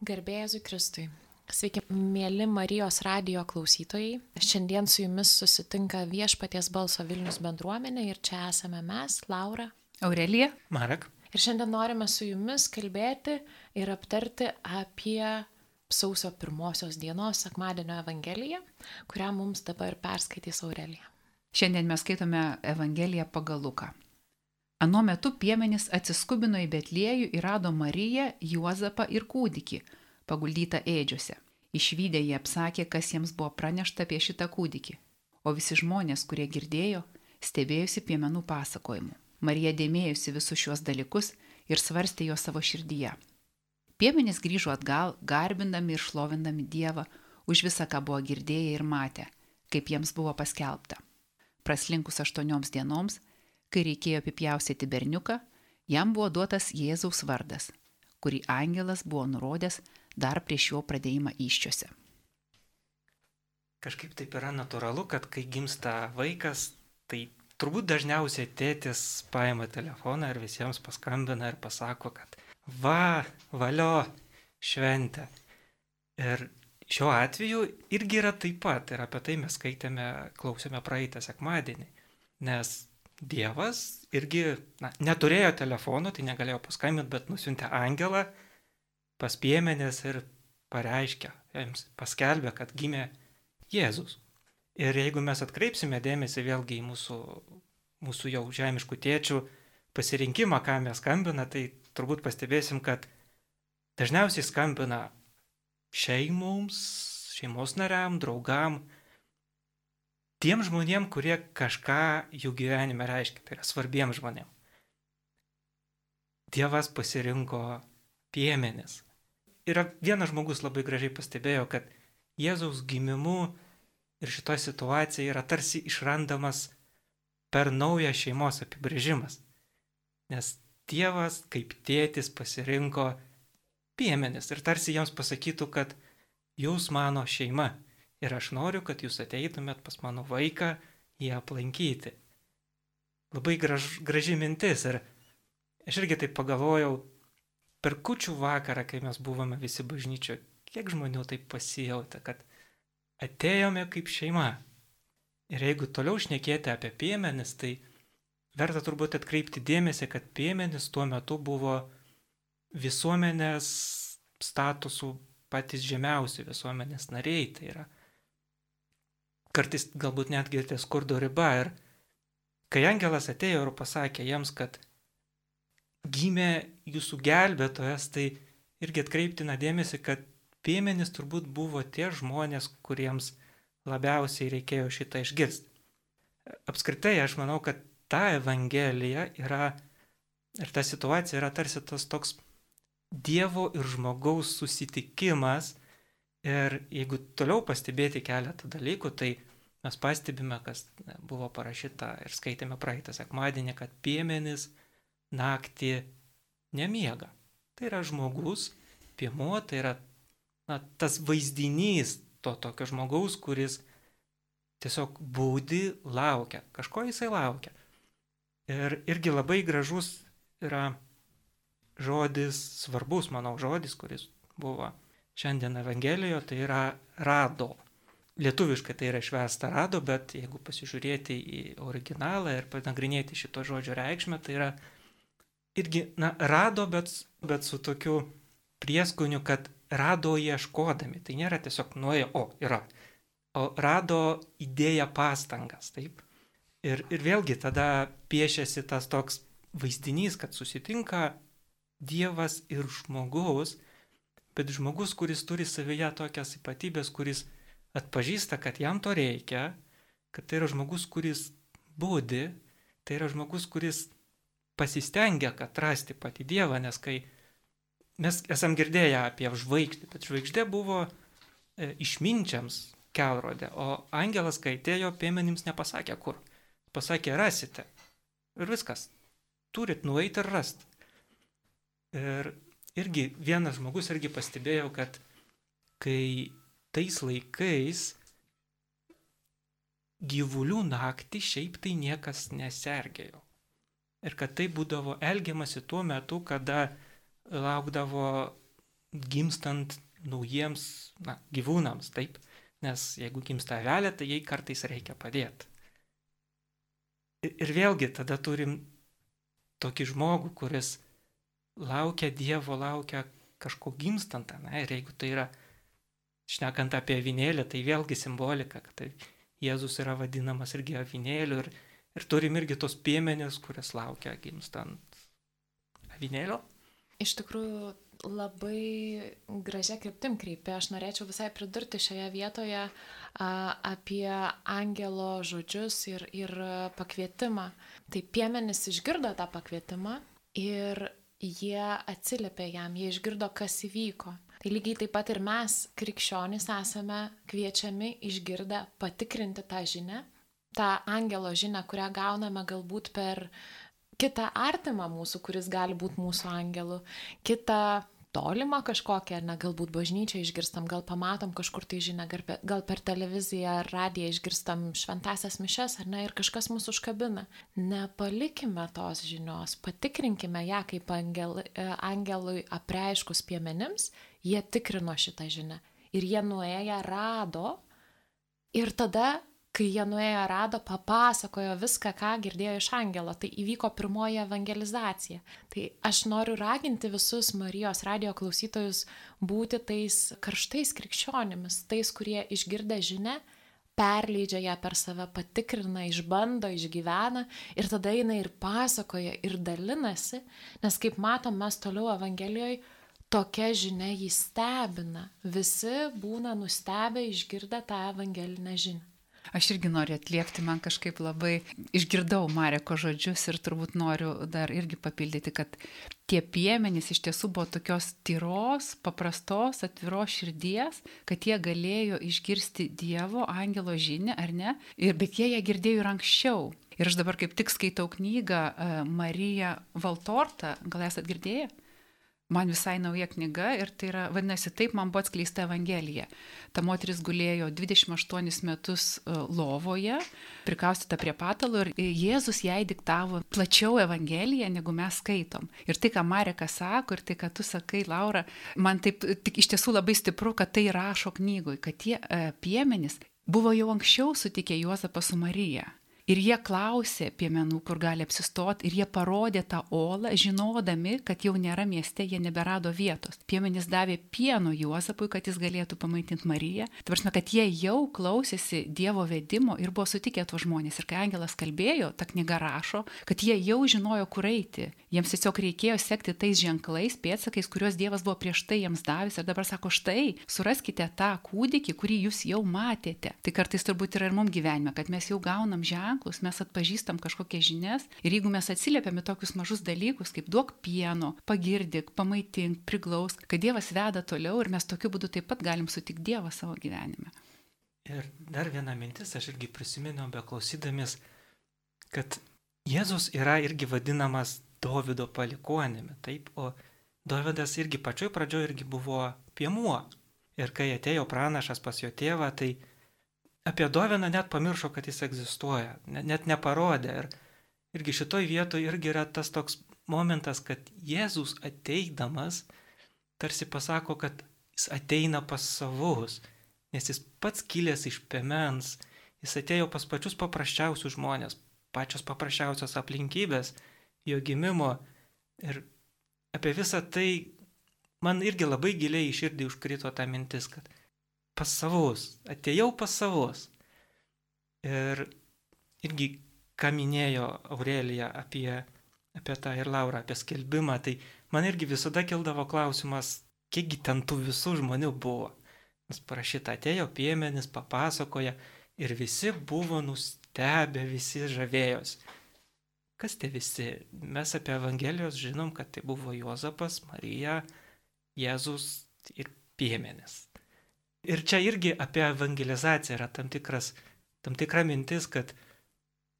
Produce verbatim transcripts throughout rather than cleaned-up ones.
Garbė Jėzui Kristui. Sveiki, mėly Marijos radijo klausytojai. Šiandien su jumis susitinka Viešpaties balso Vilnius bendruomenė ir čia esame mes, Laura, Aurelija, Marek. Ir šiandien norime su jumis kalbėti ir aptarti apie sausio pirmosios dienos sekmadienio Evangeliją, kurią mums dabar perskaitys Aurelija. Šiandien mes skaitome Evangeliją pagal Luką. Anuo metu piemenys atsiskubino į Betliejų ir rado Mariją, Juozapą ir kūdikį, paguldytą ėdžiuose. Išvydę jie apsakė, kas jiems buvo pranešta apie šitą kūdikį. O visi žmonės, kurie girdėjo, stebėjusi piemenų pasakojimu. Marija dėmėjusi visus šiuos dalykus ir svarstė juos savo širdyje. Piemenys grįžo atgal, garbindami ir šlovindami Dievą už visą, ką buvo girdėję ir matę, kaip jiems buvo paskelbta. Praslinkus aštuonioms dienoms, kai reikėjo apipjaustyti berniuką, jam buvo duotas Jėzaus vardas, kurį angelas buvo nurodęs dar prieš jo pradėjimą įsčiose. Kažkaip taip yra natūralu, kad kai gimsta vaikas, tai turbūt dažniausiai tėtis paima telefoną ir visiems paskambina ir pasako, kad va, valio, šventė. Ir šiuo atveju irgi yra taip pat, ir apie tai mes skaitėme, klausėme praeitą sekmadienį, nes Dievas irgi na, neturėjo telefono, tai negalėjo paskambinti, bet nusiuntė angelą pas piemenis ir pareiškė, jiems paskelbė, kad gimė Jėzus. Ir jeigu mes atkreipsime dėmesį vėlgi į mūsų, mūsų jau žemiškų tėčių pasirinkimą, ką mes skambina, tai turbūt pastebėsim, kad dažniausiai skambina šeimoms, šeimos nariam, draugam, tiem žmonėm, kurie kažką jų gyvenime reiškia, tai yra svarbiem žmonėm. Dievas pasirinko piemenis. Ir vienas žmogus labai gražiai pastebėjo, kad Jėzaus gimimu ir šitoje situacijoje yra tarsi išrandamas per naują šeimos apibrėžimas. Nes Dievas kaip tėtis pasirinko piemenis ir tarsi jiems pasakytų, kad jūs mano šeima. Ir aš noriu, kad jūs ateitumėt pas mano vaiką jį aplankyti. Labai graž, graži mintis. Ir aš irgi taip pagalvojau, per kūčių vakarą, kai mes buvome visi bažnyčioje, kiek žmonių taip pasijautė, kad atėjome kaip šeima. Ir jeigu toliau šnekėti apie piemenis, tai verta turbūt atkreipti dėmesį, kad piemenis tuo metu buvo visuomenės statusų patys žemiausi visuomenės nariai. Tai yra kartais galbūt netgi ties skurdo riba. Ir kai angelas atėjo ir pasakė jiems, kad gimė jūsų gelbėtojas, tai irgi atkreiptina dėmesį, kad piemenys turbūt buvo tie žmonės, kuriems labiausiai reikėjo šitą išgirsti. Apskritai aš manau, kad ta Evangelija yra ir ta situacija yra tarsi tas toks Dievo ir žmogaus susitikimas. Ir jeigu toliau pastebėti keletą dalykų, tai mes pastebime, kas buvo parašyta ir skaitėme praeitą sekmadienį, kad piemenis naktį nemiega. Tai yra žmogus, piemuo, tai yra na, tas vaizdinys to tokio žmogaus, kuris tiesiog būdi, laukia. Kažko jisai laukia. Ir irgi labai gražus yra žodis, svarbus, manau, žodis, kuris buvo šiandien Evangelijoje, tai yra rado. Lietuviškai tai yra išversta rado, bet jeigu pasižiūrėti į originalą ir panagrinėti šito žodžio reikšmę, tai yra irgi, na, rado, bet, bet su tokiu prieskoniu, kad rado ieškodami. Tai nėra tiesiog nuėjo, o, yra. O rado įdėję pastangas, taip. Ir, ir vėlgi tada piešiasi tas toks vaizdinys, kad susitinka Dievas ir žmogus, bet žmogus, kuris turi savyje tokias ypatybės, kuris atpažįsta, kad jam to reikia, kad tai yra žmogus, kuris būdi, tai yra žmogus, kuris pasistengia, kad rasti patį Dievą, nes kai mes esam girdėję apie žvaigždę, bet žvaigždė buvo e, išminčiams kelrodė, o angelas, kai atėjo, piemenims nepasakė kur. Pasakė, rasite. Ir viskas. Turit nueiti ir rasti. Ir irgi vienas žmogus irgi pastebėjo, kad kai tais laikais gyvulių naktį šiaip tai niekas nesergėjo. Ir kad tai būdavo elgiamasi tuo metu, kada laukdavo gimstant naujiems na, gyvūnams, taip, nes jeigu gimsta avelė, tai jai kartais reikia padėti. Ir, ir vėlgi tada turim tokį žmogų, kuris laukia Dievo, laukia kažko gimstant, na, ir jeigu tai yra, šnekant apie avinėlį, tai vėlgi simbolika, kad tai Jėzus yra vadinamas irgi avinėliu ir, ir turim irgi tos piemenės, kurias laukia gimstant avinėlio. Iš tikrųjų, labai gražia kryptim kreipia. Aš norėčiau visai pridurti šioje vietoje a, apie angelo žodžius ir, ir pakvietimą. Tai piemenys išgirdo tą pakvietimą ir jie atsiliepė jam, jie išgirdo, kas įvyko. Tai lygiai taip pat ir mes, krikščionys, esame kviečiami išgirdę patikrinti tą žinią, tą angelo žinią, kurią gauname galbūt per kitą artimą mūsų, kuris gali būti mūsų angelu, kitą tolimą kažkokią, ar ne, galbūt bažnyčią išgirstam, gal pamatom kažkur tai žinią, gal per televiziją ar radiją išgirstam šventasias mišes, ar ne, ir kažkas mūsų užkabina. Nepalikime tos žinios, patikrinkime ją kaip angel, angelui apreiškus piemenims, jie tikrino šitą žinią. Ir jie nuėję rado, ir tada kai jie nuėjo rado, papasakojo viską, ką girdėjo iš angelo. Tai įvyko pirmoji evangelizacija. Tai aš noriu raginti visus Marijos radijo klausytojus būti tais karštais krikščionimis, tais, kurie išgirdę žinią, perleidžia ją per save, patikrina, išbando, išgyvena ir tada eina ir pasakoja ir dalinasi, nes kaip matom, mes toliau Evangelijoje tokia žinia jį stebina. Visi būna nustebę išgirdę tą evangelinę žinią. Aš irgi noriu atliepti, man kažkaip labai išgirdau Mareko žodžius ir turbūt noriu dar irgi papildyti, kad tie piemenys iš tiesų buvo tokios tyros, paprastos, atviros širdies, kad jie galėjo išgirsti Dievo angelo žinią, ar ne? Ir, bet jie ją girdėjo ir anksčiau. Ir aš dabar kaip tik skaitau knygą Marija Valtorta, gal esat girdėję? Man visai nauja knyga ir tai yra, vadinasi, taip man buvo atskleista Evangelija. Ta moteris gulėjo dvidešimt aštuonis metus lovoje, prikaustyta prie patalo ir Jėzus jai diktavo plačiau Evangeliją, negu mes skaitom. Ir tai, ką Marekas sako, ir tai, ką tu sakai, Laura, man taip tik iš tiesų labai stipru, kad tai rašo knygoj, kad tie e, piemenys buvo jau anksčiau sutikę Juozapą su Marija. Ir jie klausė piemenų, kur gali apsistoti, ir jie parodė tą olą, žinodami, kad jau nėra mieste, jie neberado vietos. Piemenys davė pieno Juozapui, kad jis galėtų pamaitinti Mariją. Tai prasme, kad jie jau klausėsi Dievo vedimo ir buvo sutikę tuos žmonės. Ir kai angelas kalbėjo, ta knyga rašo, kad jie jau žinojo, kur eiti. Jiems tiesiog reikėjo sekti tais ženklais, pėdsakais, kuriuos Dievas buvo prieš tai jiems davęs. Ir dabar sako, štai, suraskite tą kūdikį, kurį jūs jau matėte. Tai kartais turbūt yra ir mums gyvenime, kad mes jau gaunam ženklą, mes atpažįstam kažkokias žinias ir jeigu mes atsiliepiame tokius mažus dalykus, kaip duok pieno, pagirdik, pamaitink, priglausk, kad Dievas veda toliau ir mes tokiu būdu taip pat galim sutikti Dievą savo gyvenime. Ir dar viena mintis, aš irgi prisiminiau beklausydamis, kad Jėzus yra irgi vadinamas Dovydo palikuonimi, taip, o Dovydas irgi pačioj pradžioj irgi buvo piemuo. Ir kai atėjo pranašas pas jo tėvą, tai apie Dovydą net pamiršo, kad jis egzistuoja, net neparodė. Ir irgi šitoj vietoje irgi yra tas toks momentas, kad Jėzus ateidamas tarsi pasako, kad jis ateina pas savus, nes jis pats kilęs iš piemens, jis atėjo pas pačius paprasčiausius žmonės, pačios paprasčiausios aplinkybės jo gimimo. Ir apie visą tai man irgi labai giliai į širdį užkrito ta mintis, kad pas savus, atėjau pas savus. Ir irgi, ką minėjo Aurelija apie, apie tą ir Laura, apie skelbimą, tai man irgi visada kildavo klausimas, kiekgi ten tų visų žmonių buvo. Nes parašyta, atėjo piemenys, papasakoja ir visi buvo nustebę, visi žavėjosi. Kas tie visi? Mes apie Evangelijos žinom, kad tai buvo Juozapas, Marija, Jėzus ir piemenys. Ir čia irgi apie evangelizaciją yra tam, tikras, tam tikra mintis, kad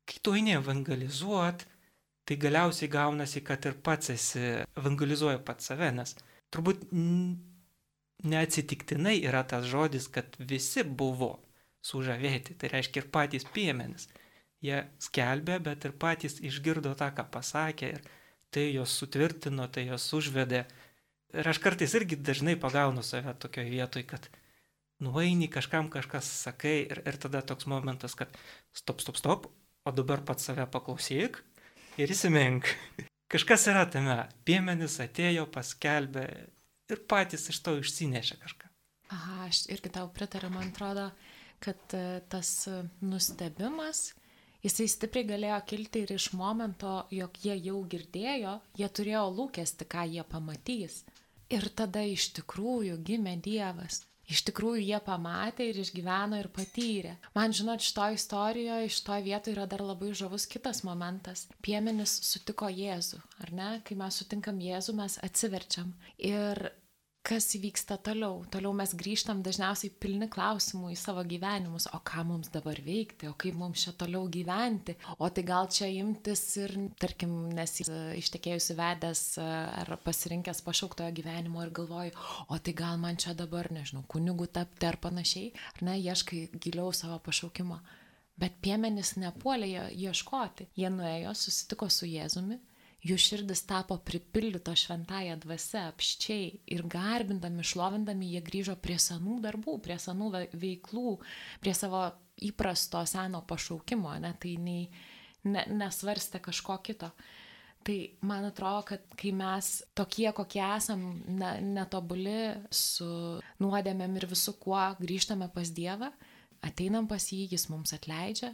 kai tu eini evangelizuot, tai galiausiai gaunasi, kad ir pats esi evangelizuoja pats save, nes turbūt neatsitiktinai yra tas žodis, kad visi buvo sužavėti, tai reiškia ir patys piemenys. Jie skelbė, bet ir patys išgirdo tą, ką pasakė, ir tai jos sutvirtino, tai jos užvedė Ir aš kartais irgi dažnai pagaunu save tokioje vietoje, kad nueini kažkam kažkas sakai ir, ir tada toks momentas, kad stop, stop, stop, o dabar pats save paklausyk ir įsimink. Kažkas yra tame. Piemenys atėjo, paskelbė ir patys iš to išsinešė kažką. Aha, aš irgi tau pritariu, man atrodo, kad tas nustebimas, jisai stipriai galėjo kilti ir iš momento, jog jie jau girdėjo, jie turėjo lūkesti, ką jie pamatys. Ir tada iš tikrųjų gimė Dievas. Iš tikrųjų jie pamatė ir išgyveno ir patyrė. Man žinot, šitoj istorijoje, šitoj vietoje yra dar labai žavus kitas momentas. Piemenys sutiko Jėzų, ar ne? Kai mes sutinkam Jėzų, mes atsiverčiam. Ir kas vyksta toliau? Toliau mes grįžtam dažniausiai pilni klausimų į savo gyvenimus. O ką mums dabar veikti? O kaip mums čia toliau gyventi? O tai gal čia imtis ir, tarkim, nes ištekėjusi vedęs ar pasirinkęs pašauktojo gyvenimo ir galvoju, o tai gal man čia dabar, nežinau, kunigu tapti ar panašiai, ar ne, ieškai giliau savo pašaukimo. Bet piemenys nepuolė ieškoti. Jie nuėjo, susitiko su Jėzumi. Jų širdis tapo pripildyto šventąją dvasia, apščiai ir garbindami, šlovindami, jie grįžo prie senų darbų, prie senų veiklų, prie savo įprasto seno pašaukimo, ne, tai nei, ne, nesvarstė kažko kito. Tai man atrodo, kad kai mes tokie, kokie esam, ne, netobuli su nuodėmėm ir visu kuo grįžtame pas Dievą, ateinam pas jį, jis mums atleidžia,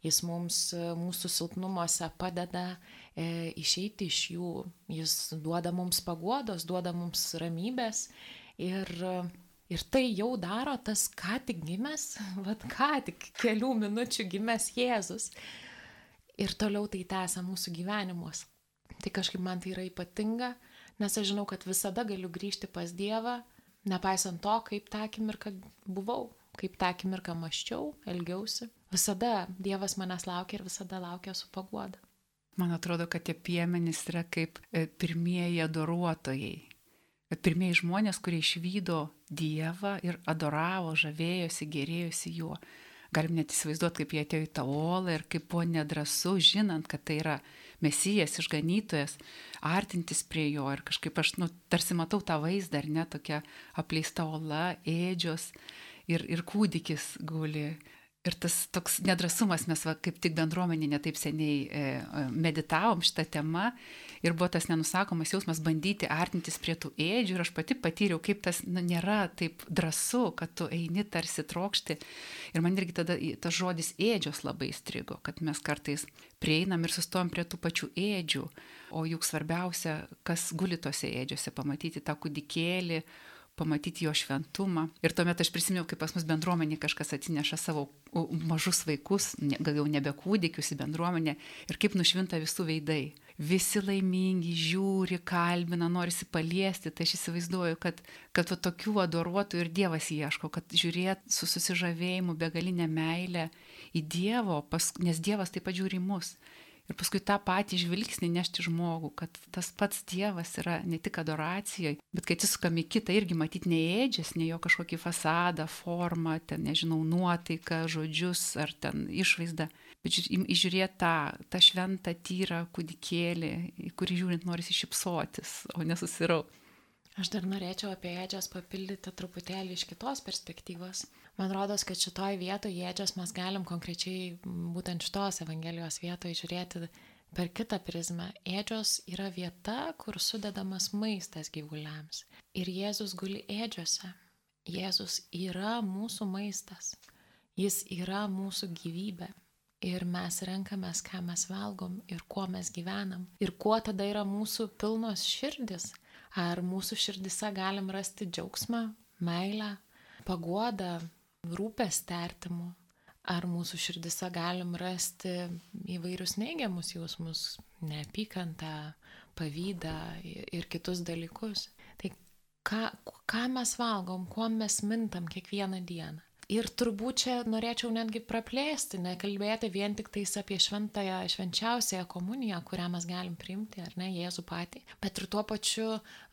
jis mums mūsų silpnumuose padeda e, išeiti iš jų, jis duoda mums paguodos, duoda mums ramybės ir, ir tai jau daro tas ką tik gimęs, vat ką tik kelių minučių gimęs Jėzus ir toliau tai tęsia mūsų gyvenimus. Tai kažkaip man tai yra ypatinga, nes aš žinau, kad visada galiu grįžti pas Dievą, nepaisant to, kaip tą akimirką buvau. Kaip tą akimirką mąsčiau, elgiausi. Visada Dievas manęs laukia ir visada laukia su paguoda. Man atrodo, kad tie piemenys yra kaip pirmieji adoruotojai. Pirmieji žmonės, kurie išvydo Dievą ir adoravo, žavėjosi, gėrėjosi juo. Galim net įsivaizduoti, kaip jie atėjo į tą olą ir kaip buvo nedrąsu, žinant, kad tai yra Mesijas, išganytojas, artintis prie jo. Ir kažkaip aš nu, tarsi matau tą vaizdą, ar ne, tokia apleista ola, ėdžios. Ir, ir kūdikis guli. Ir tas toks nedrasumas, mes va, kaip tik bendruomenė netaip seniai e, meditavom šitą temą ir buvo tas nenusakomas jausmas bandyti artintis prie tų ėdžių ir aš pati patyriau, kaip tas nu, nėra taip drąsu, kad tu eini tarsi trokšti. Ir man irgi tada tas žodis ėdžios labai strigo, kad mes kartais prieinam ir sustojam prie tų pačių ėdžių, o juk svarbiausia, kas guli tose ėdžiose, pamatyti tą kūdikėlį, pamatyti jo šventumą. Ir tuomet aš prisiminiau, kaip pas mus bendruomenė kažkas atsineša savo mažus vaikus, gal jau nebe kūdikius į bendruomenę, ir kaip nušvinta visų veidai. Visi laimingi, žiūri, kalbina, norisi paliesti. Tai aš įsivaizduoju, kad, kad va, tokių adoruotų ir Dievas ieško, kad žiūrėt su susižavėjimu, begalinę meilę į Dievo, pas, nes Dievas taip pat žiūri į mus. Ir paskui tą patį žvilgsnį nešti žmogų, kad tas pats Dievas yra ne tik adoracijoje, bet kai atsisukam į kitą, irgi matyti ne ėdžias, ne jo kažkokį fasadą, formą, ten, nežinau, nuotaiką, žodžius ar ten išvaizdą, bet įžiūrėti tą, tą šventą, tyrą kūdikėlį, į kurį žiūrint norisi šypsotis, o nesusirau. Aš dar norėčiau apie ėdžias papildyti truputėlį iš kitos perspektyvos. Man rodos, kad šitoj vietoje ėdžias mes galim konkrečiai būtent šitos Evangelijos vietoje žiūrėti per kitą prizmę. Ėdžios yra vieta, kur sudedamas maistas gyvuliams. Ir Jėzus guli ėdžiose. Jėzus yra mūsų maistas. Jis yra mūsų gyvybė. Ir mes renkamės, ką mes valgom ir kuo mes gyvenam. Ir kuo tada yra mūsų pilnos širdis. Ar mūsų širdise galim rasti džiaugsmą, meilę, paguodą, rūpestį artimų. Ar mūsų širdise galim rasti įvairius neigiamus jausmus, neapykantą, pavydą ir kitus dalykus. Tai ką, ką mes valgom, kuo mes mintam kiekvieną dieną. Ir turbūt čia norėčiau netgi praplėsti, nekalbėti vien tik tais apie šventąją, švenčiausiąją komuniją, kurią mes galim priimti, ar ne, Jėzų patį, bet ir tuo pačiu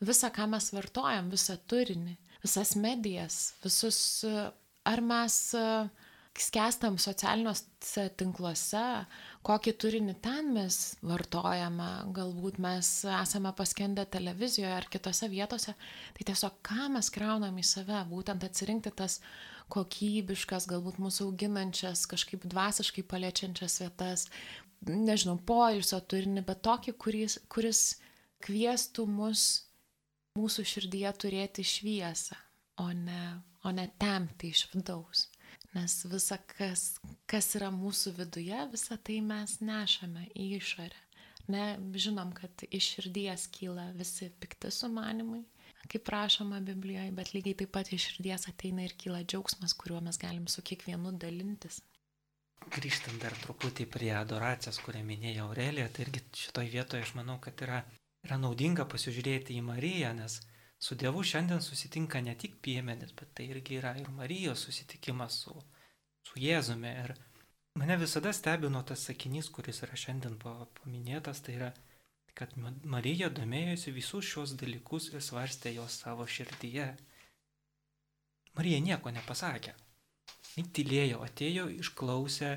visą, ką mes vartojam, visą turinį, visas medijas, visus, ar mes skęstam socialiniuose tinkluose, kokį turinį ten mes vartojame, galbūt mes esame paskendę televizijoje ar kitose vietose, tai tiesiog ką mes kraunam į save, būtent atsirinkti tas kokybiškas, galbūt mūsų auginančias, kažkaip dvasiškai paliečiančias vietas, nežinau, poilsio turinį, bet tokį, kuris, kuris kviestų mus mūsų širdyje turėti šviesą, o ne, o ne temti iš vidaus. Nes visa, kas, kas yra mūsų viduje, visą tai mes nešame į išorę. Ne, žinom, kad iš širdies kyla visi pikti sumanimai, kaip rašoma Biblijoje, bet lygiai taip pat iš širdies ateina ir kyla džiaugsmas, kuriuo mes galim su kiekvienu dalintis. Grįžtant dar truputį prie adoracijos, kurią minėjo Aurelija, tai irgi šitoj vietoje aš manau, kad yra, yra naudinga pasižiūrėti į Mariją, nes su Dievu šiandien susitinka ne tik piemenys, bet tai irgi yra ir Marijos susitikimas su, su Jėzumi. Ir mane visada stebino tas sakinys, kuris yra šiandien paminėtas, tai yra, kad Marija domėjosi visus šios dalykus ir svarstė jos savo širdyje. Marija nieko nepasakė. Jis tylėjo, atėjo, išklausė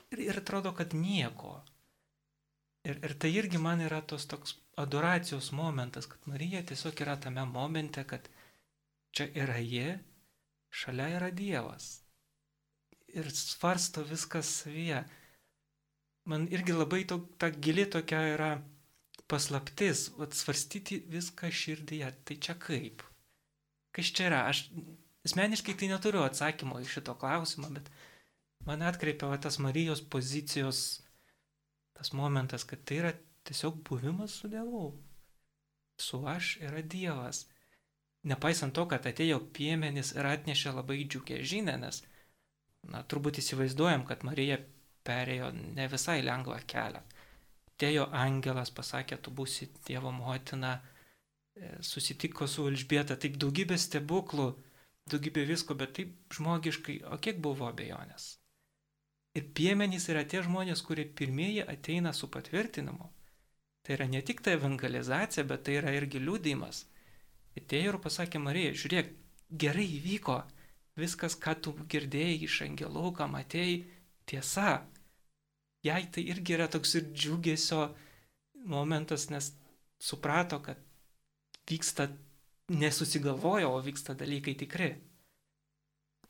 ir, ir atrodo, kad nieko. Ir, ir tai irgi man yra tos toks adoracijos momentas, kad Marija tiesiog yra tame momente, kad čia yra ji, šalia yra Dievas. Ir svarsto viskas savyje. Man irgi labai to, ta gili tokia yra paslaptis, svarstyti viską širdyje. Tai čia kaip? Kas čia yra? Aš asmeniškai tai neturiu atsakymo į šito klausimą, bet man atkreipia va, tas Marijos pozicijos tas momentas, kad tai yra tiesiog buvimas su Dievu. Su aš yra Dievas. Nepaisant to, kad atėjo piemenys ir atnešė labai džiugę žinią, nes, na, turbūt įsivaizduojam, kad Marija perėjo ne visai lengvą kelią. Atėjo angelas, pasakė, tu būsi Dievo motina, susitiko su Elžbieta, taip daugybė stebuklų, daugybė visko, bet taip žmogiškai, o kiek buvo abejonės? Ir piemenys yra tie žmonės, kurie pirmieji ateina su patvirtinimu. Tai yra ne tik ta evangelizacija, bet tai yra irgi liudijimas. Atėjo ir pasakė Marija, žiūrėk, gerai įvyko, viskas, ką tu girdėjai iš angelų, ką matėjai, tiesa. Jai tai irgi yra toks ir džiugesio momentas, nes suprato, kad vyksta, nesusigalvojo, o vyksta dalykai tikri.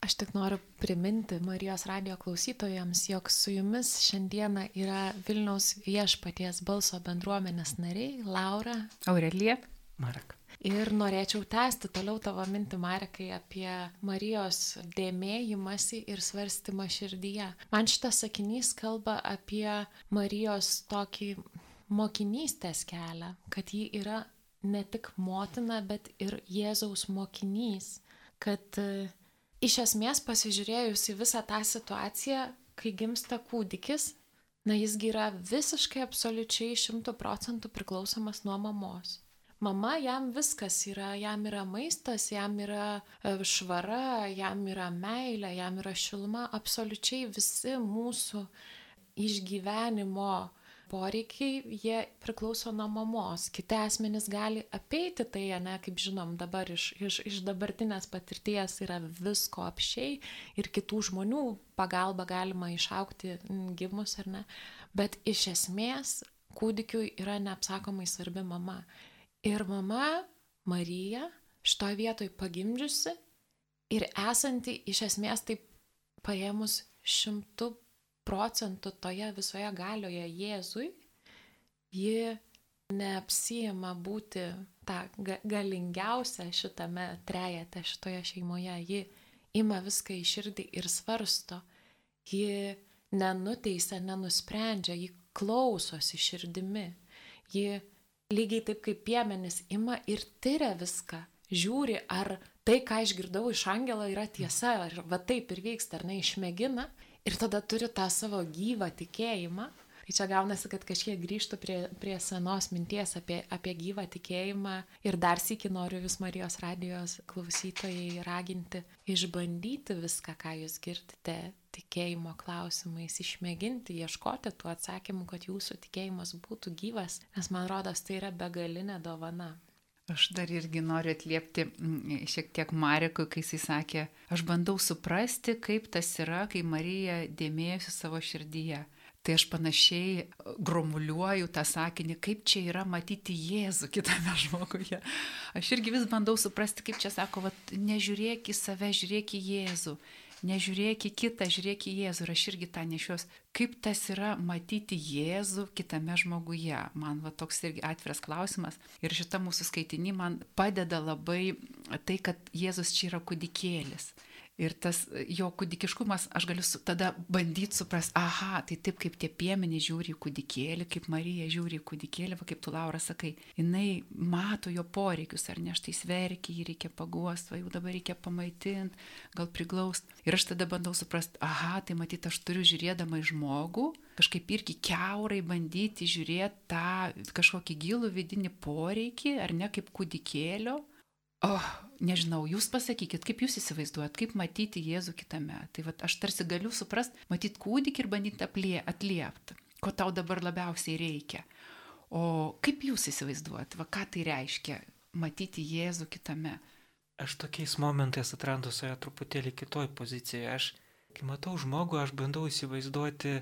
Aš tik noriu priminti Marijos radijo klausytojams, jog su jumis šiandieną yra Vilniaus Viešpaties balso bendruomenės nariai Laura, Aurelija, Marek. Ir norėčiau tęsti toliau tavo mintį, Marekai, apie Marijos dėmėjimąsi ir svarstymą širdyje. Man šitas sakinys kalba apie Marijos tokį mokinystės kelią, kad ji yra ne tik motina, bet ir Jėzaus mokinys, kad iš esmės pasižiūrėjus į visą tą situaciją, kai gimsta kūdikis, na jisgi yra visiškai absoliučiai šimtų procentų priklausomas nuo mamos. Mama jam viskas yra, jam yra maistas, jam yra švara, jam yra meilė, jam yra šiluma, absoliučiai visi mūsų išgyvenimo poreikiai, jie priklauso nuo mamos. Kiti asmenys gali apeiti tai, ne, kaip žinom, dabar iš, iš, iš dabartinės patirties yra visko apsčiai ir kitų žmonių pagalba galima išaugti gimus ar ne. Bet iš esmės kūdikiui yra neapsakomai svarbi mama. Ir mama Marija šitoj vietoj pagimdžiusi ir esanti iš esmės taip paėmus šimtų procentų toje visoje galioje Jėzui, ji neapsijima būti tą galingiausią šitame trejete, šitoje šeimoje. Ji ima viską į širdį ir svarsto. Ji nenuteisia, nenusprendžia, ji klausosi širdimi. Ji lygiai taip kaip piemenys ima ir tyria viską. Žiūri, ar tai, ką išgirdau iš angelo, yra tiesa, ar va taip ir vyksta, ar ne, išmėgina. Ir tada turi tą savo gyvą tikėjimą. Tai čia gaunasi, kad kažkiek grįžtų prie, prie senos minties apie, apie gyvą tikėjimą. Ir dar sykį noriu vis Marijos radijos klausytojai raginti, išbandyti viską, ką jūs girdite tikėjimo klausimais, išmėginti, ieškoti tų atsakymų, kad jūsų tikėjimas būtų gyvas. Nes man rodos, tai yra begalinė dovana. Aš dar irgi noriu atliepti šiek tiek Marekui, kai jisai sakė, aš bandau suprasti, kaip tas yra, kai Marija dėmėjosi savo širdyje. Tai aš panašiai gromuliuoju tą sakinį, kaip čia yra matyti Jėzų kitame žmoguje. Aš irgi vis bandau suprasti, kaip čia sako, vat, nežiūrėk į save, žiūrėk į Jėzų. Nežiūrėk į kitą, žiūrėk į Jėzų. Ir aš irgi tą nešios, kaip tas yra matyti Jėzų kitame žmoguje. Man va toks irgi atviras klausimas. Ir šita mūsų skaitinį man padeda labai tai, kad Jėzus čia yra kūdikėlis. Ir tas jo kūdikiškumas, aš galiu su, tada bandyti suprasti, aha, tai taip kaip tie piemenys žiūri į kūdikėlį, kaip Marija žiūri į kūdikėlį, va kaip tu, Laura, sakai, jinai mato jo poreikius, ar ne, štai sverkia, jį reikia paguosti, va jau dabar reikia pamaitinti, gal priglaust. Ir aš tada bandau suprasti, aha, tai matyt, aš turiu žiūrėdama į žmogų, kažkaip irgi kiaurai bandyti žiūrėti tą kažkokį gilų vidinį poreikį, ar ne, kaip kūdikėlio. Oh, nežinau, jūs pasakykit, kaip jūs įsivaizduojat, kaip matyti Jėzų kitame. Tai va, aš tarsi galiu suprast, matyti kūdikį ir bandyti atliepti, ko tau dabar labiausiai reikia. O kaip jūs įsivaizduojat, va, ką tai reiškia matyti Jėzų kitame? Aš tokiais momentais atrandu save truputėlį kitoj pozicijoje. Aš, kai matau žmogų, aš bandau įsivaizduoti,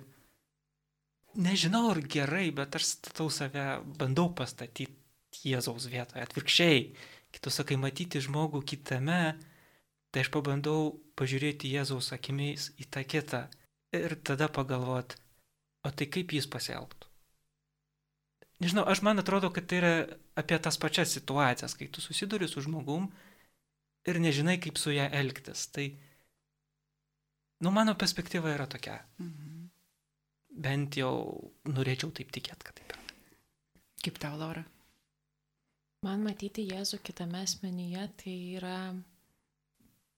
nežinau ar gerai, bet aš statau save, bandau pastatyti Jėzaus vietoje, atvirkščiai. Kitu sakai, matyti žmogų kitame, tai aš pabandau pažiūrėti Jėzaus akimis į tą kitą ir tada pagalvot, o tai kaip jis pasielgtų. Nežinau, aš man atrodo, kad tai yra apie tas pačias situacijas, kai tu susiduri su žmogum ir nežinai, kaip su ją elgtis. Tai, nu, mano perspektyva yra tokia. Mhm. Bent jau norėčiau taip tikėti, kad taip yra. Kaip tau, Laura? Man matyti Jėzų kitame asmenyje tai yra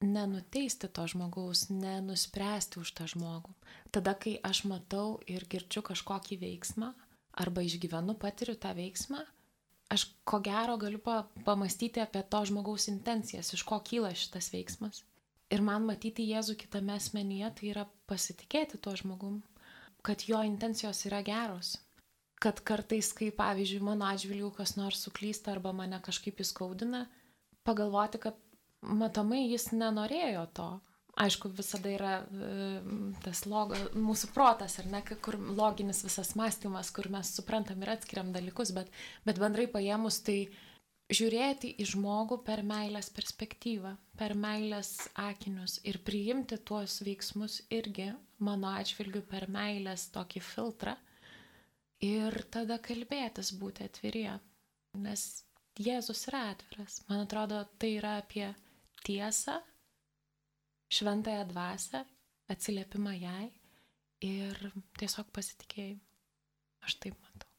nenuteisti to žmogaus, nenuspręsti už tą žmogų. Tada, kai aš matau ir girdžiu kažkokį veiksmą, arba išgyvenu, patiriu tą veiksmą, aš ko gero galiu pa- pamastyti apie to žmogaus intencijas, iš ko kyla šitas veiksmas. Ir man matyti Jėzų kitame asmenyje tai yra pasitikėti tuo žmogum, kad jo intencijos yra geros. Kad kartais, kai pavyzdžiui mano atžvilgiu kas nors suklysta arba mane kažkaip įskaudina, pagalvoti, kad matomai jis nenorėjo to. Aišku, visada yra e, tas logo, mūsų protas, ar ne, kur loginis visas mąstymas, kur mes suprantam ir atskiriam dalykus, bet, bet bendrai paėmus tai žiūrėti į žmogų per meilės perspektyvą, per meilės akinius ir priimti tuos veiksmus irgi mano atžvilgiu per meilės tokį filtrą. Ir tada kalbėtis, būti atvirie, nes Jėzus yra atviras. Man atrodo, tai yra apie tiesą, šventąją dvasią, atsiliepimą jai ir tiesiog pasitikėjimą. Aš taip matau.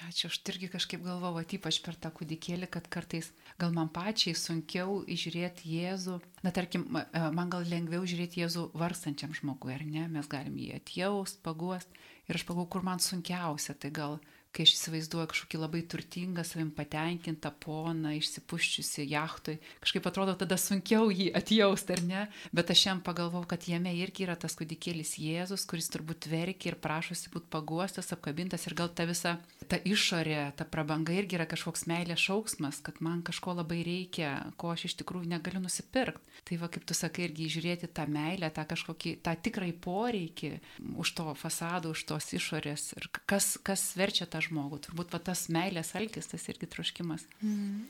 Ačiū, aš irgi kažkaip galvoju, ypač per tą kūdikėlį, kad kartais gal man pačiai sunkiau įžiūrėti Jėzų. Na, tarkim, man gal lengviau žiūrėti Jėzų vargstančiam žmogui, ar ne? Mes galim jį atjaust, paguost. Ir aš pagalvoju, kur man sunkiausia, tai gal, kai aš įsivaizduoju kažkokį labai turtingą, savim patenkintą poną, išsipuščiusi jachtui, kažkaip atrodo tada sunkiau jį atjausti, ar ne? Bet aš jam pagalvojau, kad jame irgi yra tas kūdikėlis Jėzus, kuris turbūt verkia ir prašosi būti paguostas, apkabintas ir gal ta visa, ta išorė, ta prabanga irgi yra kažkoks meilės šauksmas, kad man kažko labai reikia, ko aš iš tikrųjų negaliu nusipirkti. Tai va, kaip tu sakai, irgi žiūrėti tą meilę, tą kažkokį, tą tikrai poreikį už to fasado, už tos išorės ir kas, kas verčia tą žmogų. Turbūt va, tas meilės alkis, tas irgi troškimas. Mm.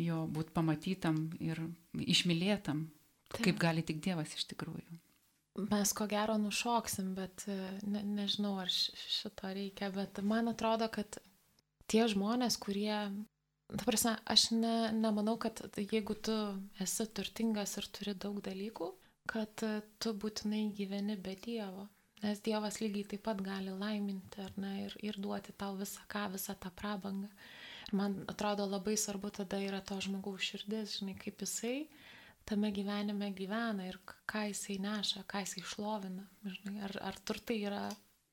Jo būt pamatytam ir išmylėtam, taip, kaip gali tik Dievas iš tikrųjų. Mes ko gero nušoksim, bet ne, nežinau, ar šito reikia, bet man atrodo, kad tie žmonės, kurie, ta prasme, aš ne, nemanau, kad jeigu tu esi turtingas ir turi daug dalykų, kad tu būtinai gyveni be Dievo. Nes Dievas lygiai taip pat gali laiminti, ar ne, ir, ir duoti tau visą ką, visą tą prabangą. Ir man atrodo labai svarbu tada yra to žmogaus širdis, žinai, kaip jisai tame gyvenime gyvena ir ką jisai neša, ką jisai šlovina. Žinai, ar, ar turtai yra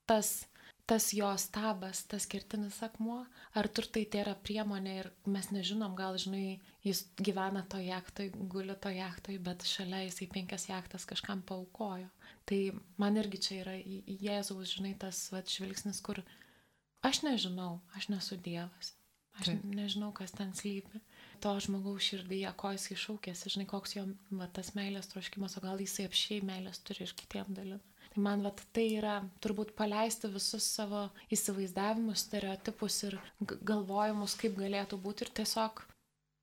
tas, tas jo stabas, tas kertinis akmuo, ar turtai tai yra priemonė ir mes nežinom, gal, žinai, jis gyvena to jachtoj, guli to jachtoj, bet šalia jisai penkias jachtas kažkam paaukojo. Tai man irgi čia yra Jėzaus, žinai, tas vat, žvilgsnis, kur aš nežinau, aš nesu Dievas. Aš nežinau, kas ten slypi. To žmogaus širdyje, ko jis iššaukėsi, žinai, koks jo va, tas meilės troškimas, o gal jisai apšiai meilės turi ir kitiem dalina. Tai man va, tai yra turbūt paleisti visus savo įsivaizdavimus, stereotipus ir galvojimus, kaip galėtų būti ir tiesiog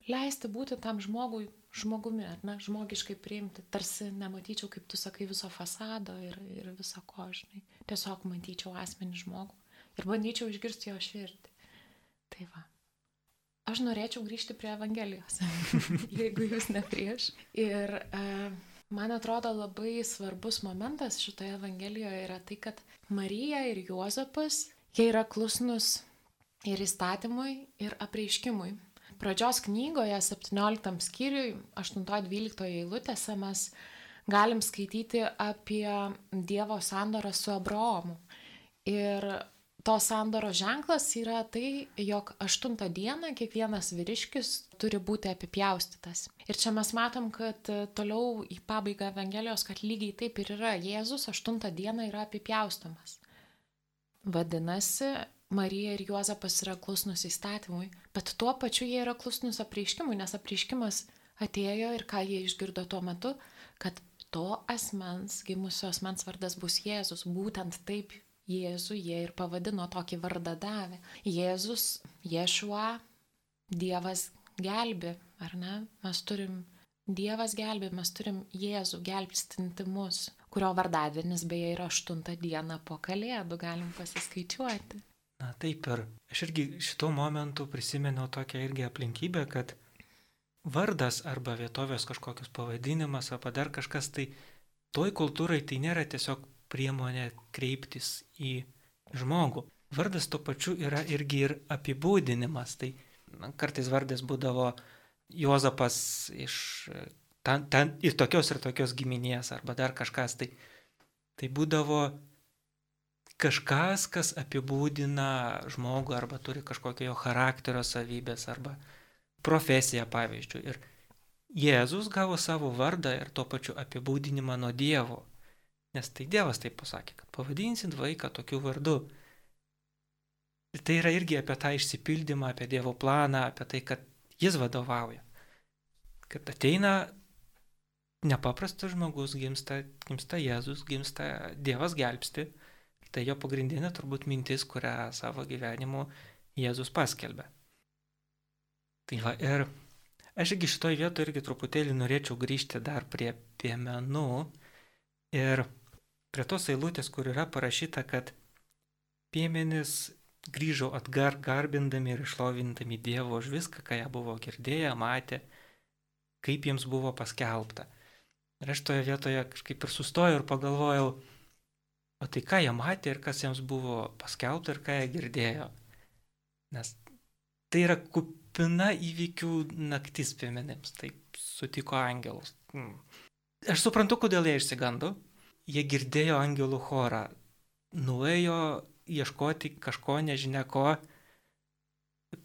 leisti būti tam žmogui, žmogumi, ar ne, žmogiškai priimti. Tarsi nematyčiau, kaip tu sakai, viso fasado ir, ir viso ko, žinai. Tiesiog matyčiau asmenį žmogų ir bandyčiau išgirsti jo širdį. Tai va. Aš norėčiau grįžti prie Evangelijos, jeigu jūs ne prieš. Ir e, man atrodo labai svarbus momentas šitoje Evangelijoje yra tai, kad Marija ir Juozapas, jie yra klusnus ir įstatymui, ir apreiškimui. Pradžios knygoje, septynioliktam skyriui, aštuntoje dvyliktoje eilutėse mes galim skaityti apie Dievo sandorą su Abraomu. Ir to sandoro ženklas yra tai, jog aštuntą dieną kiekvienas vyriškis turi būti apipjaustytas. Ir čia mes matom, kad toliau į pabaigą Evangelijos, kad lygiai taip ir yra. Jėzus aštuntą dieną yra apipjaustomas. Vadinasi, Marija ir Juozapas yra klusnus įstatymui, bet tuo pačiu jie yra klusnus apreiškimui, nes apreiškimas atėjo ir ką jie išgirdo tuo metu, kad to asmens, gimusio asmens vardas bus Jėzus. Būtent taip Jėzų jie ir pavadino, tokį vardą davė. Jėzus, Ješua, Dievas gelbi, ar ne? Mes turim Dievas gelbi, mes turim Jėzų gelbstinti mus, kurio vardadienis beje yra aštuntą dieną po Kalėdų, galim pasiskaičiuoti. Na taip ir aš irgi šituo momentu prisimenu tokią irgi aplinkybę, kad vardas arba vietovės kažkokius pavadinimas arba dar kažkas, tai toj kultūrai tai nėra tiesiog priemonė kreiptis į žmogų. Vardas tuo pačiu yra irgi ir apibūdinimas. Tai na, kartais vardas būdavo Juozapas iš ten, ten, ir tokios ir tokios giminės arba dar kažkas. Tai, tai būdavo kažkas, kas apibūdina žmogų arba turi kažkokio jo charakterio savybės arba profesiją, pavyzdžiui. Ir Jėzus gavo savo vardą ir tuo pačiu apibūdinimą nuo Dievo. Nes tai Dievas taip pasakė, kad pavadinsit vaiką tokiu vardu. Ir tai yra irgi apie tą išsipildymą, apie Dievo planą, apie tai, kad jis vadovauja. Kad ateina nepaprastas žmogus, gimsta, gimsta Jėzus, gimsta Dievas gelbsti. Tai jo pagrindinė turbūt mintis, kurią savo gyvenimu Jėzus paskelbė. Tai va, ir aš irgi šitoj vietoje irgi truputėlį norėčiau grįžti dar prie piemenų ir prie tos eilutės, kur yra parašyta, kad piemenys grįžo atgar garbindami ir išlovindami Dievo už viską, ką jie buvo girdėję, matė, kaip jiems buvo paskelbta. Ir aš toje vietoje kažkaip ir sustojau ir pagalvojau, o tai ką jie matė ir kas jiems buvo paskelbta ir ką jie girdėjo. Nes tai yra kupina įvykių naktis piemenims, taip sutiko angelus. Hmm. Aš suprantu, kodėl jie išsigando. Jie girdėjo angelų chorą, nuėjo ieškoti kažko, nežinia ko,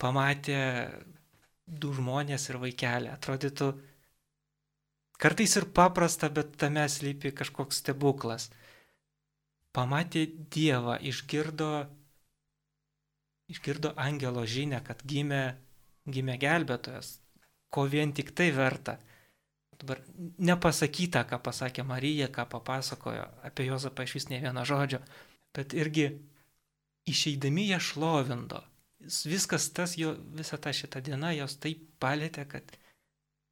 pamatė du žmonės ir vaikelį. Atrodytų kartais ir paprasta, bet tame slypi kažkoks stebuklas. Pamatė Dievą, išgirdo, išgirdo angelo žinią, kad gimė, gimė gelbėtojas, ko vien tik tai verta. Dabar nepasakyta, ką pasakė Marija, ką papasakojo, apie Juozapą iš vis ne vieno žodžio, bet irgi išeidami jie šlovindo. Viskas tas, jo, visa ta šita diena jos taip palėtė, kad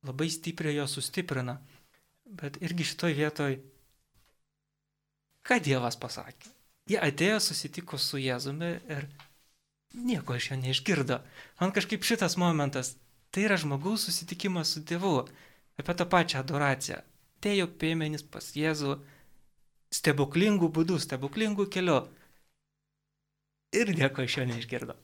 labai stipriai jo sustiprina. Bet irgi šitoj vietoj, ką Dievas pasakė? Jie atėjo, susitiko su Jėzumi ir nieko iš jo neišgirdo. Man kažkaip šitas momentas, tai yra žmogaus susitikimas su Dievu. Apie tą pačią adoraciją. Atėjo piemenys pas Jėzų stebuklingų būdų, stebuklingų keliu. Ir nieko iš jo neišgirdo.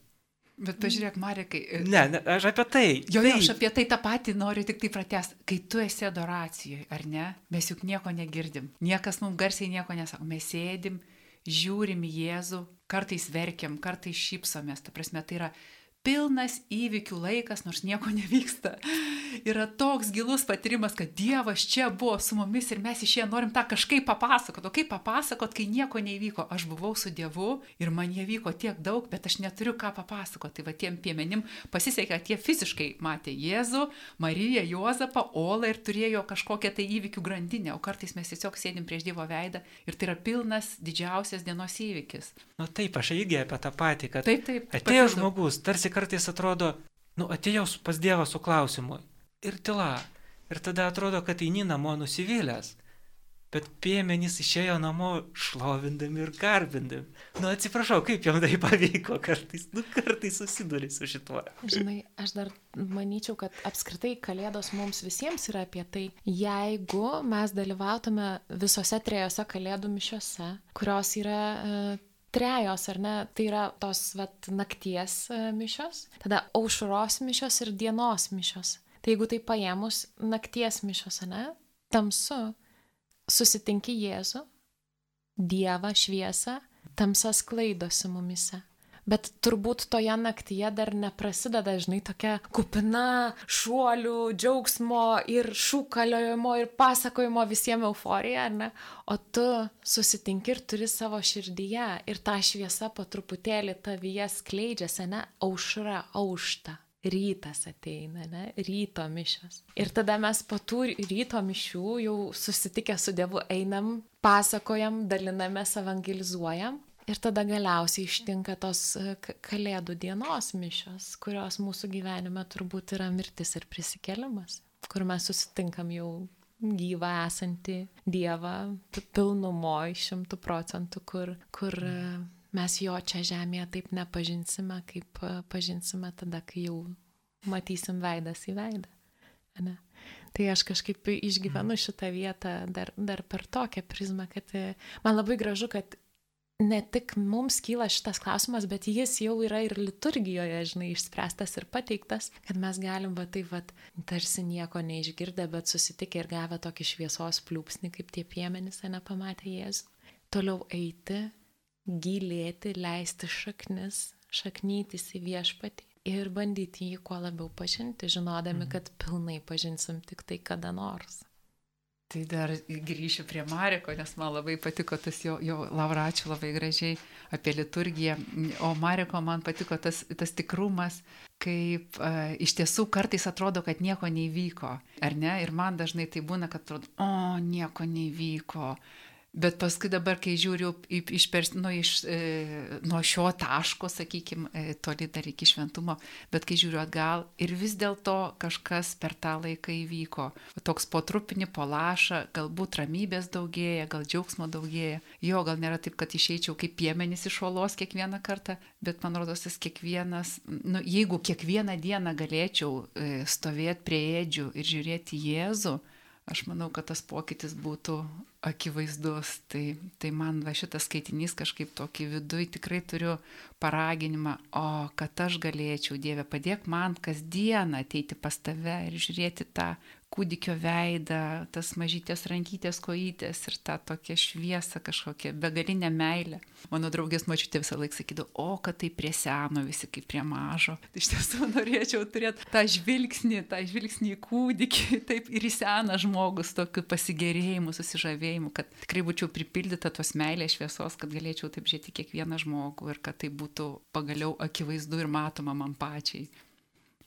Bet pažiūrėk, Marekai. Ne, ne, aš apie tai. Jo, jo, aš apie tai tą patį noriu tik tai pratęsti. Kai tu esi adoracijoje, ar ne, mes juk nieko negirdim. Niekas mums garsiai nieko nesako. Mes sėdim, žiūrim į Jėzų, kartais verkiam, kartais šypsomės. Ta prasme, tai yra pilnas įvykių laikas, nors nieko nevyksta. Yra toks gilus patyrimas, kad Dievas čia buvo su mumis ir mes iš jie norim tą kažkaip papasakot. O kaip papasakot, kai nieko neįvyko? Aš buvau su Dievu ir man jie vyko tiek daug, bet aš neturiu ką papasakot. Tai va tiem piemenim pasisekė, kad jie fiziškai matė Jėzų, Mariją, Juozapą, Olą ir turėjo kažkokią tai įvykių grandinę. O kartais mes tiesiog sėdim prieš Dievo veidą ir tai yra pilnas didžiausias dienos įvykis. Nu taip, aš irgi apie tą patį, kad taip, taip, atėjo žmogus, tarsi kartais atrodo, nu atėjau pas Dievą su klausimu ir tyla. Ir tada atrodo, kad eini namo nusivylęs. Bet piemenys išėjo namo šlovindami ir garbindami. Nu atsiprašau, kaip jam tai pavyko kartais, nu kartais susiduri su šituo. Žinai, aš dar manyčiau, kad apskritai Kalėdos mums visiems yra apie tai, jeigu mes dalyvautume visose trejose Kalėdų mišiose, kurios yra uh, trejos, ar ne, tai yra tos vat, nakties mišios, tada aušros mišios ir dienos mišios. Tai jeigu tai paėmus nakties mišios, ne, tamsu, susitinki Jėzų, Dievą, šviesą, tamsa sklaidosi mumise. Bet turbūt toje naktyje dar neprasideda, žinai, tokia kupina šuolių, džiaugsmo ir šūkaliojimo ir pasakojimo visiems euforija, ar ne? O tu susitinki ir turi savo širdyje ir ta šviesa po truputėlį tavyje skleidžiasi, ne? Aušra, aušta. Rytas ateina, ne? Ryto mišios. Ir tada mes po tų ryto mišių jau susitikę su Dievu einam, pasakojam, dalinamės, evangelizuojam. Ir tada galiausiai ištinka tos Kalėdų dienos mišios, kurios mūsų gyvenime turbūt yra mirtis ir prisikėlimas, kur mes susitinkam jau gyvą esantį Dievą pilnumoj šimtų procentų, kur, kur mes jo čia žemėje taip nepažinsime, kaip pažinsime tada, kai jau matysim veidas į veidą. Ne? Tai aš kažkaip išgyvenu šitą vietą dar, dar per tokią prizmą, kad man labai gražu, kad ne tik mums kyla šitas klausimas, bet jis jau yra ir liturgijoje, žinai, išspręstas ir pateiktas, kad mes galim va taip va tarsi nieko neišgirdę, bet susitikę ir gavę tokį šviesos pliūpsnį, kaip tie piemenys, nepamatė Jėzų. Toliau eiti, gilėti, leisti šaknis, šaknytis į viešpatį ir bandyti jį kuo labiau pažinti, žinodami, kad pilnai pažinsim tik tai kada nors. Tai dar grįšiu prie Mareko, nes man labai patiko tas jo, jo Laura, ačiū labai gražiai apie liturgiją. O Mareko man patiko tas, tas tikrumas, kaip e, iš tiesų kartais atrodo, kad nieko neįvyko, ar ne? Ir man dažnai tai būna, kad atrodo, o, nieko neįvyko. Bet paskui dabar, kai žiūriu iš, nu, iš, e, nuo šio taško, sakykime, e, toli dar iki šventumo, bet kai žiūriu atgal ir vis dėlto kažkas per tą laiką įvyko. Toks po trupinį, po lašą, galbūt ramybės daugėja, gal džiaugsmo daugėja. Jo, gal nėra taip, kad išeičiau kaip piemenys iš olos kiekvieną kartą, bet man rodos, jis kiekvienas, nu, jeigu kiekvieną dieną galėčiau e, stovėti prie ėdžių ir žiūrėti Jėzų, aš manau, kad tas pokytis būtų akivaizdus. Tai, tai man va šitas skaitinys kažkaip tokį viduj tikrai turiu paraginimą, o kad aš galėčiau, Dieve, padėk man kasdieną ateiti pas tave ir žiūrėti tą kūdikio veidą, tas mažytės rankytės, kojytės ir tą tokią šviesą kažkokią, begalinę meilę. Mano draugės močiutė visą laiką sakydavo, o kad tai prie seno visi kaip prie mažo. Tai iš tiesų norėčiau turėti tą žvilgsnį, tą žvilgsnį į kūdikį, taip ir į seną žmogus, tokiu pasigėrėjimu, susižavėjimu, kad tikrai būčiau pripildyta tos meilės šviesos, kad galėčiau taip žiūrėti kiekvieną žmogų ir kad tai būtų pagaliau akivaizdu ir matoma man pačiai.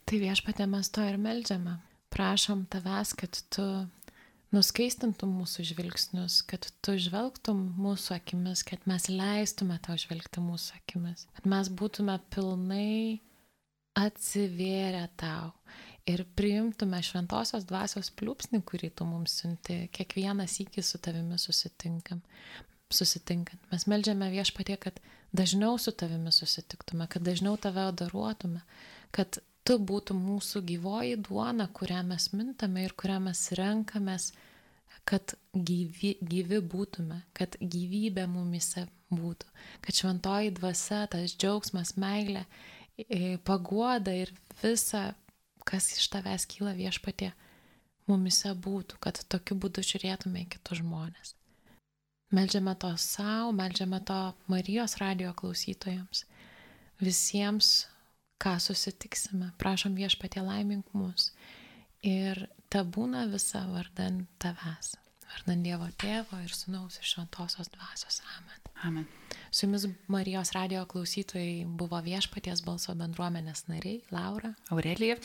Tai Viešpatie mes to ir meldžiame. Prašom tavęs, kad tu nuskaistintum mūsų žvilgsnius, kad tu žvelgtum mūsų akimis, kad mes leistume tau žvelgti mūsų akimis, kad mes būtume pilnai atsivėrę tau ir priimtume šventosios dvasios pliūpsnį, kurį tu mums siunti, kiekvieną sykį su tavimi susitinkam. Susitinkant. Mes meldžiame Viešpatie, kad dažniau su tavimi susitiktume, kad dažniau tave adoruotume, kad tu būtų mūsų gyvoji duona, kurią mes mintame ir kurią mes renkamės, kad gyvi, gyvi būtume, kad gyvybė mumise būtų, kad šventoji dvasia, tas džiaugsmas, meilė, paguoda ir visa, kas iš tavęs kyla Viešpatie, mumise būtų, kad tokiu būdu žiūrėtume į kitus žmonės. Meldžiame to savo, meldžiame to Marijos radijo klausytojams, visiems, ką susitiksime. Prašom Viešpatie laimink mus. Ir ta būna visa vardan tavęs. Vardan Dievo Tėvo ir Sūnaus ir Šventosios Dvasios. Amen. Amen. Su jumis Marijos radijo klausytojai buvo Viešpaties balso bendruomenės nariai Laura, Aurelija.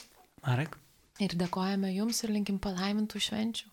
Marek. ir dėkojame jums ir linkim palaimintų švenčių.